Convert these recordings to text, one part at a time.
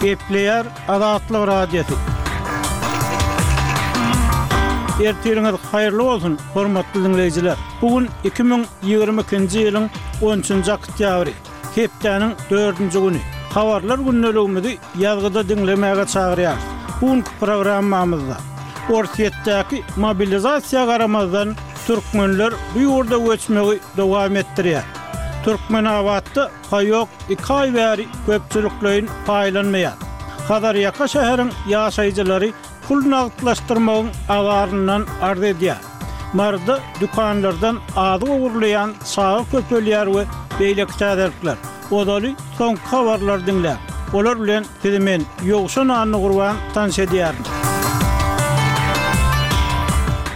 Gepleýär Azatlyk Radiosy. Ertiriňiz haýyrly bolsun, hormatly diňleýjiler! Bu gün 2022-nji ýylyň on üçünji oktýabry, hepdäniň dördünji güni. Habarlar gündeligimizi ýazgyda diňlemäge çagyrýarys. Bu günki programmamyzda Orsýetdäki mobilizasiýa garamazdan türkmenler bu ýurda göçmegi dowam etdirýär. Türkmenabatda paýok iki aý bäri köpçülikleýin paýlanmaýar. Hazarýaka şäheriň ýaşaýjylary pul nagtlaşdyrmagyň azaryndan arz edýär. Maryda dükanlardan azyk ogurlaýan çaga köpelýär we beýleki täzelikler. Ozaly soňky habarlary diňläň. Olar bilen sizi men, Ýowşan Annagurban tanyş edýärin.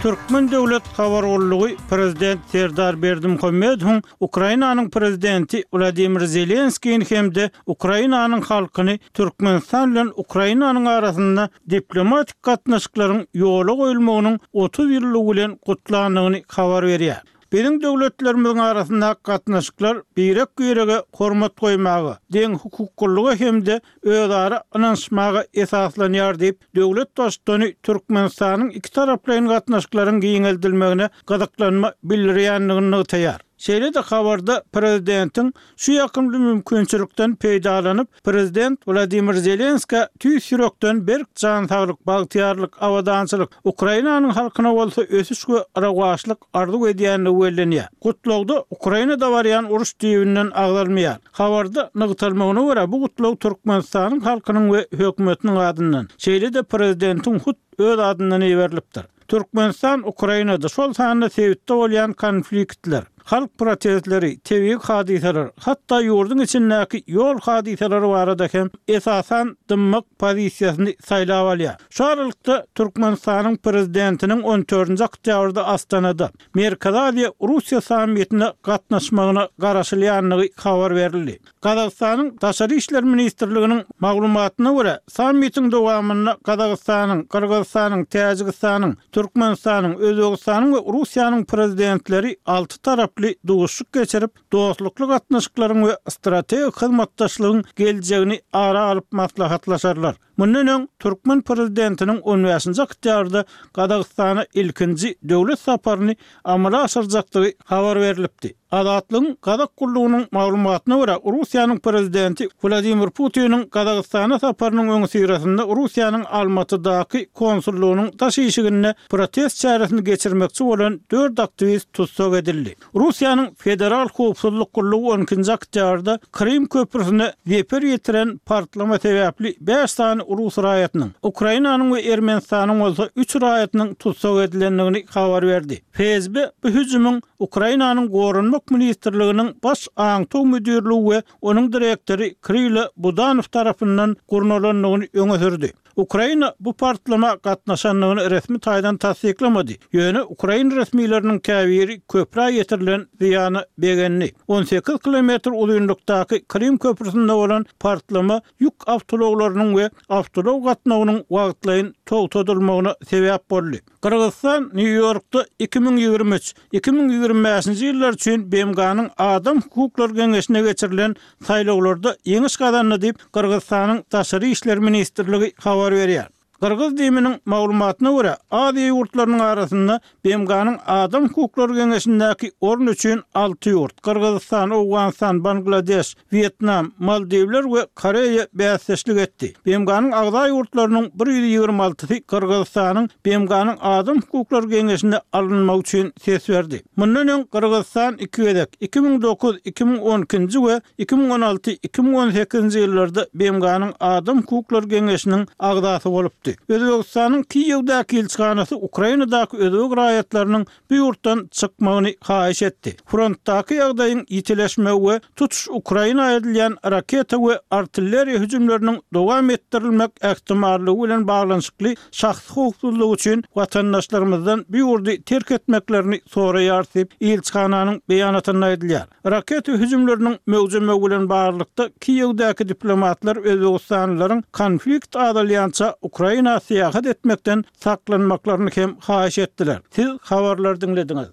Türkmen döwlet habar gullugy prezident Serdar Berdimuhamedowyň Ukrainanyň prezidenti Wladimir Zelenskini hem-de Ukrainanyň halkyny Türkmenistan bilen Ukrainanyň arasynda diplomatik gatnaşyklaryň ýola goýulmagynyň 30 ýyllygy bilen gutlandygyny habar berýär. Biziň döwletlerimiziň arasyndaky gatnaşyklar birek-birege hormat goýmaga, deňhukuklylyga hem-de özara ynanyşmaga esaslanýar diýip, döwlet Baştutany Türkmenistanyň ikitaraplaýyn gatnaşyklaryň giňeldilmegine gyzyklanma bildirýändigini nygtaýar. Şeýle-de habarda prezidentiň şu ýakymly mümkinçilikden peýdalanyp, prezident Wladimir Zelenskä tüýs ýürekden berk jan saglyk, bagtyýarlyk, abadançylyk, Ukrainanyň halkyna bolsa ösüş we rowaçlyk arzuw edýändigi bellenýär. Gutlagda Ukrainada barýan uruş düýbünden agzalmaýar. Habarda nygtalmagyna görä, bu gutlag Türkmenistanyň halkynyň we hökümetiniň adyndan, şeýle-de prezidentiň hut öz adyndan iberilipdir. Türkmenistan Ukrainada, şol sanda sebitde bolýan konfliktler, halk protestleri, tebigy hadysalar, hatda ýurduň içindäki ýol hadysalary barada hem esasan dymmak pozisiýasyny saýlap alýar. Şu aralykda, Türkmenistanyň Prezidentiniň on dördünji oktýabrda Astanada Merkezi Aziýa, Russiýa sammitine gatnaşmagyna garaşylýandygy habar berildi. Gazagystanyň Daşary işler ministrliginiň maglumatyna görä, sammitiň dowamynda Gazagystanyň, Gyrgyzystanyň, Täjigistanyň, Türkmenistanyň, Özbegistanyň we Russiýanyň Prezidentleri alty taraply duşuşyk geçirip, dostlukly gatnaşyklaryň we strategik hyzmatdaşlygyň geljegini ara alyp maslahatlaşarlar. Mundan öň, türkmen prezidentiniň on bäşinji oktýabrda Gazagystana ilkinji döwlet saparyny amala aşyrjakdygy habar berlipdi. Azatlygyň Gazak gullugynyň maglumatyna görä, Russiýanyň prezidenti Wladimir Putiniň Gazagystana saparynyň öňüsyrasynda Russiýanyň Almatydaky konsullygynyň daş işiginde protest çäresini geçirmekçi bolan dört aktiwist tussag edildi. Russiýanyň Federal howpsuzlyk gullugy on ikinji oktýabrda Krym köprüsine zeper ýetiren partlama sebäpli bäş sany rus raýatynyň, Ukrainanyň we Ermenistanyň bolsa üç raýatynyň tussag edilendigini habar berdi. FSB bu hüjümiň Ukrainanyň Goranmak ministrliginiň Baş aňtaw müdirligi we onuň direktory Krilo Budanow tarapyndan gurnalandygyny öňe sürdi. Ukraina bu partlama gatnaşandygyny resmi taýdan tassyklamady, ýöne ukrain resmileriniň käbiri köprä ýetirilen zyýana begendi. 18 kilometr uzynlykdaky Krym köprüsinde bolan partlama ýük awtoulaglarynyň we awtoulag gatnawynyň wagtlaýyn togtadylmagyna sebäp boldy. Gyrgyzystan Nýu-Ýorkda 2023, 2025-nji ýyllar üçin BMG-niň Adam hukuklary geňeşine geçirilen saýlawlarda ýeňiş gazandy diýip, Gyrgyzystanyň Daşary işler ministrligi habar berýär. Gyrgyz DIM-niň maglumatyna görä, Aziýa ýurtlarynyň arasynda BMG-niň Adam hukuklary geňeşindäki orun üçin alty ýurt, Gyrgyzystan, Owganystan, Bangladeş, Wýetnam, Maldiwler we Koreýa bäsdeşlik etdi. BMG-niň agza ýurtlarynyň 126-sy Gyrgyzystanyň BMG-niň Adam hukuklary geňeşine alynmagy üçin ses berdi. Mundan öň Gyrgyzystan iki gezek, 2009, 2012-nji we 2016, 2018-nji ýyllarda BMG-niň Adam hukuklary geňeşiniň agzasy bolupdy. Özbegistanyň Kiýewdäki ilçihanasy Ukrainadaky özbek raýatlarynyň bu ýurtdan çykmagyny haýyş etdi. Frontdaky ýagdaýyň ýitileşmegi we tutuş Ukraina edilýän raketa we artilleriýa hüjümleriniň dowam etdirilmek ähtimallygy bilen baglanyşykly şahsy howpsuzlygy üçin watandaşlarymyzdan bu ýurdy terk etmeklerini soraýarys diýip, ilçihananyň beýanatynda aýdylýar. Raketa hüjümleriniň möwjemegi bilen baglylykda, Kiýewdäki diplomatlar özbegistanlylaryň konflikt azalýança Ukraina syýahat etmekden saklanmaklaryny hem haýyş etdiler. Siz habarlary diňlediňiz.